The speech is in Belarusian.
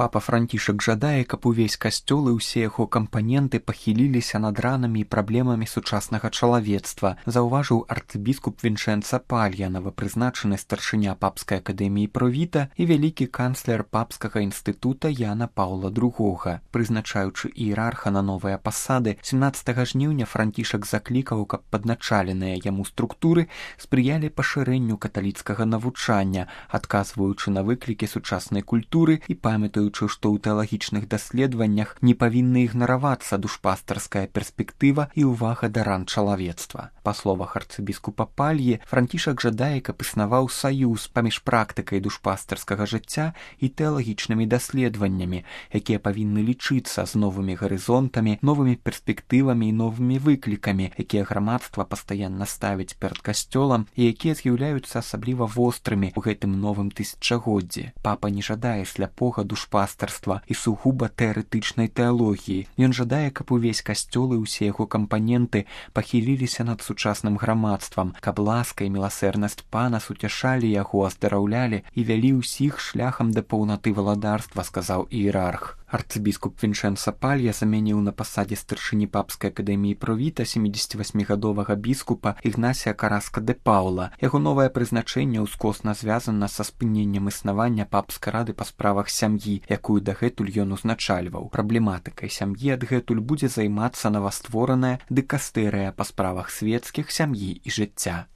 Папа Францішак жадае, каб увесь касцёл і ўсе яго кампаненты пахіліліся над ранамі і праблемамі сучаснага чалавецтва, заўважыў арцыбіскуп Вінчэнца Палья, новапрызначаны старшыня папскай акадэміі Провіта і вялікі канцлер папскага інстытута Яна Паўла II. Прызначаючы іерарха на новыя пасады, 17 жніўня Францішак заклікаў, каб падначаленыя яму структуры спрыялі пашырэнню каталіцкага навучання, адказваючы на выклікі сучаснай культуры і памятаючы, што ў тэалагічных даследаваннях не павінны ігнаравацца душпастарская перспектыва і ўвага да ран чалавецтва. Па словах арцыбіскупа Пальі, Францішак жадае, каб існаваў саюз паміж практыкай душпастарскага жыцця і тэалагічнымі даследаваннямі, якія павінны лічыцца з новымі гарызонтамі, новымі перспектывамі і новымі выклікамі, якія грамадства пастаянна ставіць перад касцёлам і якія з'яўляюцца асабліва вострымі ў гэтым новым тысячагоддзі. Папа не жадае сляпога душпастарства і сугуба тэарэтычнай тэалогіі. Ён жадае, каб увесь касцёл і ўсе яго кампаненты пахіліліся над сучасным грамадствам, каб ласка і міласэрнасць пана суцяшалі яго, аздараўлялі і вялі ўсіх шляхам да паўнаты валадарства, сказаў іерарх. Арцыбіскуп Вінчэнца Палья замяніў на пасадзе старшыні папскай акадэміі Провіта 78гадовага біскупа Ігнасія Караска де Паўла. Яго новае прызначэнне ўскосна звязана са спыненнем існавання папскай рады па справах сям'і, якую дагэтуль ён узначальваў. Праблематыкай сям'і адгэтуль будзе займацца новаствораная дыкастэрыя па справах свецкіх, сям'і і жыцця.